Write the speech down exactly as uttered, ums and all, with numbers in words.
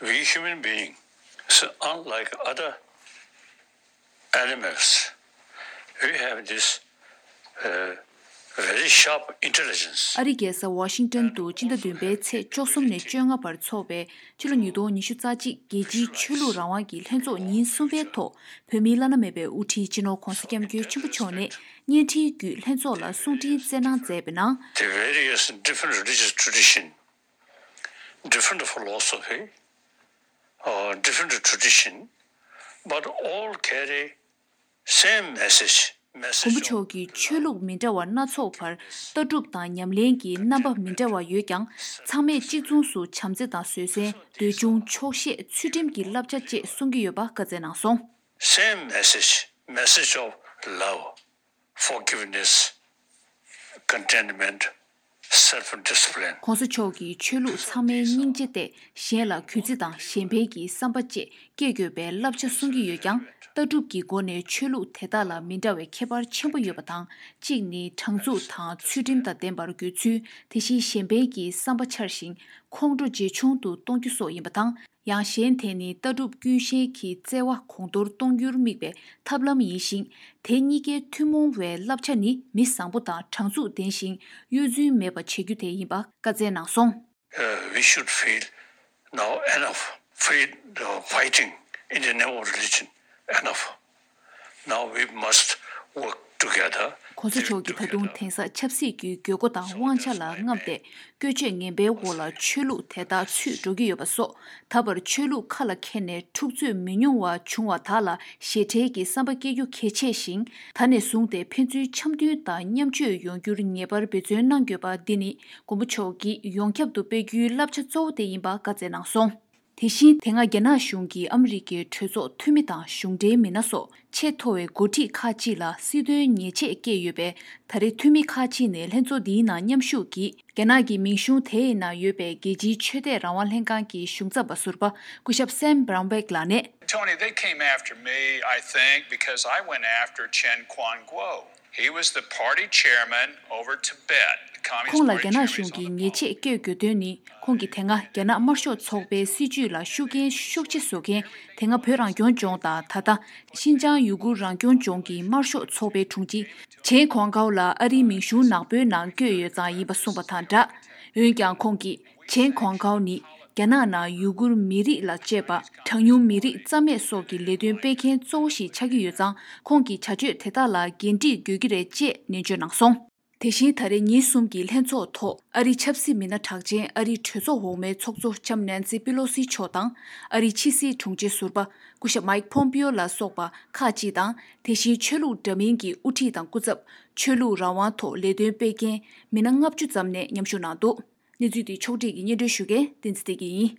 We human beings, unlike other animals, we have this uh, very sharp intelligence. ཨ་རིའི་རྒྱལ་ས་ཝ་ཤིང་ཏོན་དུ་སྤྱི་ཟླ་བདུན་པའི་ཚེས་བཅུ་གསུམ་ནས་བཅོ་ལྔ་བར་འཚོགས་པའི་ཕྱི་ལོ་ཉིས་སྟོང་ཉི་ཤུ་རྩ་གཅིག་རྒྱལ་སྤྱིའི་ཆོས་ལུགས་རང་དབང་གི་ལྷན་ཚོགས་ཉིན་གསུམ་པའི་ཐོག་བོད་མིའི་བླ་ན་མེད་པའི་དབུ་ཁྲིད་སྤྱི་ནོར་༧གོང་ས་༧སྐྱབས་མགོན་ཆེན་པོ་མཆོག་ནས་བརྙན་འཕྲིན་བརྒྱུད་ལྷན་ཚོགས་ལ་གསུང་འཕྲིན་བསྩལ་གནང་མཛད་པའི་ནང་། The various different religious tradition, different philosophy, uh, different tradition, but all carry same message. མགོན་པོ་མཆོག་གིས་ཆོས་ལུགས་མི་འདྲ་བ་སྣ་ཚོགས་བར་ལྟ་གྲུབ་དང་ཉམས་ལེན་གྱི་རྣམ་པ་མི་འདྲ་བ་ཡོད་ཀྱང་། ཚང་མས་གཅིག་མཚུངས་སུ་བྱམས་བརྩེ་དང་བཟོད་བསྲན། འདོད་ཆུང་། ཆོག་ཤེས། ཚུལ་ཁྲིམས་ཀྱི་བསླབ་བྱ་བཅས་གསུང་གི་ཡོད་པ་བཀའ་སྩལ་གནང་སོང་། Same message, message of love, forgiveness, contentment, self-discipline. ༧གོང་ས་མཆོག་གིས་ཆོས་ལུགས་ཚང་མའི་སྙིང་རྗེ་སྟེ། གཞན་ལ་གུས་བརྩི་དང་གཞན་ཕན་གྱི་བསམ་པ་བཅས་སྐྱེ་དགོས་པའི་བསླབ་བྱ་གསུང་གི་ཡོད་ཀྱང་། ལྟ་གྲུབ་ཀྱི་སྒོ་ནས་ཆོས་ལུགས་དེ་དག་ལ་མི་འདྲ་བའི་ཁྱད་པར་ཆེན་པོ་ཡོད་པ་དང་། གཅིག་ནི་དྲང་ཚུགས་དང་ཚུལ་ཁྲིམས་དང་ལྡན་པར་དགོས་ཚུལ། དེ་བཞིན་གཞན་ཕན་གྱི་བསམ་པ་འཆར་ཞིང་ཁོང་ཁྲོ་ཇེ་ཆུང་དུ་གཏོང་རྒྱུ་སོགས་ཡིན་པ་དང་། ཡང་གཞན་དེ་ནི་ལྟ་གྲུབ་ཀུན་ཤེས་ཀྱི་བརྩེ་བ་གོང་མཐོར་གཏོང་རྒྱུར་དམིགས་པའི་ཐབས་ལམ་ཡིན་ཞིང་། དེ་གཉིས་ཀའི་ཐུན་མོང་བའི་བསླབ་བྱ་ནི་མི་བཟང་པོ་དང་དྲང་ཚུགས་ལྡན་ཞིང་གཡོ་རྫུན་མེད་པ་བྱེད་རྒྱུ་དེ་ཡིན་པ་བཀའ་སྩལ་གནང་སོང་། Uh, we should feel now enough, free uh, fighting in the name of religion, enough. Now we must work together. ༧གོང་ས་མཆོག་གིས་ད་དུང་དེང་སང་ཆབ་སྲིད་ཀྱི་དགོས་མཁོ་དང་དབང་ཆ་ལ་རྔམས་ཏེ། བཀོལ་སྤྱོད་ངན་པའི་འོག་ལ་ཆོས་ལུགས་དེ་དག་ཚུད་འགྲོ་གི་ཡོད་པ་སོགས། ད་བར་ཆོས་ལུགས་ཁ་ལ་འཁྱེར་ནས་འཁྲུག་རྩོད་མི་ཉུང་བ་བྱུང་བ་དག་ལ་ཞེ་ཁྲེལ་གྱི་བསམ་པ་སྐྱེ་རྒྱུ་གལ་ཆེ་ཞིང་། ད་ནས་བཟུང་སྟེ་ཕན་ཚུན་འཆམ་མཐུན་དང་མཉམ་སྤྱོད་ཡོང་རྒྱུར་ངེས་པར་འབད་བརྩོན་གནང་དགོས་པ་འདི་ནི་མགོན་པོ་མཆོག་གིས་ཡོངས་ཁྱབ་ཏུ་སྤེལ་རྒྱུའི་བསླབ་བྱ་གཙོ་བོ་དེ་ཡིན་པ་བཀའ་སྩལ་གནང་སོང་། དེ་བཞིན་དེ་སྔ་རྒྱ་ནག་གཞུང་གིས་ཨ་མི་རི་ཀའི་གྲོས་ཚོགས་འཐུས་མི་དང་གཞུང་འབྲེལ་མི་སྣ་སོགས་ཆེས་མཐོ་བའི་འགོ་ཁྲིད་ཁག་ཅིག་ལ་སྲིད་དོན་ཉེས་ཆད་བཀལ་ཡོད་པས། ད་རེས་འཐུས་མི་ཁག་ཅིག་ནས་ལྷན་ཚོགས་འདིའི་ནང་མཉམ་ཞུགས་ཀྱིས། རྒྱ་ནག་གི་མིང་གཞུང་དེའི་ནང་ཡོད་པའི་རྒྱལ་སྤྱིའི་ཆོས་དད་རང་དབང་ལྷན་ཁང་གི་གཞུང་ཚབ་པ་ཟུར་པ་སྐུ་ཞབས་Sam Brownback ལགས་ནས། Tony, they came after me, I think, because I went after Chen Quanguo. He was the party chairman over Tibet, the Communist Party chairman. ཁོང་ལ་རྒྱ་ནག་གཞུང་གིས་ཉེས་ཆད་བཀལ་དགོས་དོན་ནི། ཁོང་གིས་དེ་སྔ་རྒྱ་ནག་དམར་ཤོག་ཚོགས་པའི་སྲིད་བྱུས་ལ་ཤུགས་རྐྱེན་ཤུགས་ཆེ་བཟོ་མཁན། དེ་སྔ་བོད་རང་སྐྱོང་ལྗོངས་དང་ད་ལྟ་ཤིན་ཅང་ཡུ་གུར་རང་སྐྱོང་ལྗོངས་ཀྱི་དམར་ཤོག་ཚོགས་པའི་དྲུང་ཆེ་ཆན་ཁོང་ཀའོ་ལ་ཨ་རིའི་མིང་གཞུང་ནག་པོའི་ནང་བཀོད་ཡོད་ཙང་ཡིན་པ་གསུངས་པ་དང་སྦྲགས། འོན་ཀྱང་ཁོང་གིས། ཆན་ཁོང་ཀའོ་ནི་རྒྱ་ནག་ནང་ཡུ་གུར་མི་རིགས་ལ་བཅས་པ་གྲངས་ཉུང་མི་རིགས་རྩ་མེད་སོགས་ཀྱི་ལས་དོན་སྤེལ་མཁན་གཙོ་བོ་ཞིག་ཆགས་ཀྱི་ཡོད་ཙང་། ཁོང་གིས་བྱ་སྤྱོད་དེ་དག་ལ་འགན་འཁྲི་དགོས་ཀྱི་རེད་ཅེས་ནན་བརྗོད་གནང་སོང་། དེ་བཞིན་ད་རེས་ཉིན་གསུམ་གྱི་ལྷན་ཚོགས་ཐོག་ཨ་རིའི་ཆབ་སྲིད་མི་སྣ་གྲགས་ཅན་ཨ་རིའི་གྲོས་ཚོགས་འོག་མའི་ཚོགས་གཙོ་ལྕམ་ནན་སི་པི་ལོ་སི་མཆོག་དང་། ཨ་རིའི་ཕྱི་སྲིད་དྲུང་ཆེ་ཟུར་པ་སྐུ་ཞབས་མའིག་ཕོམ་པིའོ་ལ་སོགས་པ་ཁག་ཅིག་དང་། དེ་བཞིན་ཆོས་ལུགས་འདྲ་མིན་གྱི་དབུ་ཁྲིད་དང་སྐུ་ཚབ། ཆོས་ལུགས་རང་དབང་ཐོག་ལས་དོན་སྤེལ་མཁན་མི་སྣ་ལྔ་བཅུ་ཙམ་ནས་མཉམ་ཞུགས་གནང་འདུག་གནས་ཚུལ་འདི་ཕྱོགས་སྒྲིག་གིས་སྙན་སྒྲོན་ཞུ་མཁན་བསྟན་འཛིན་བདེ་སྐྱིད་ཡིན།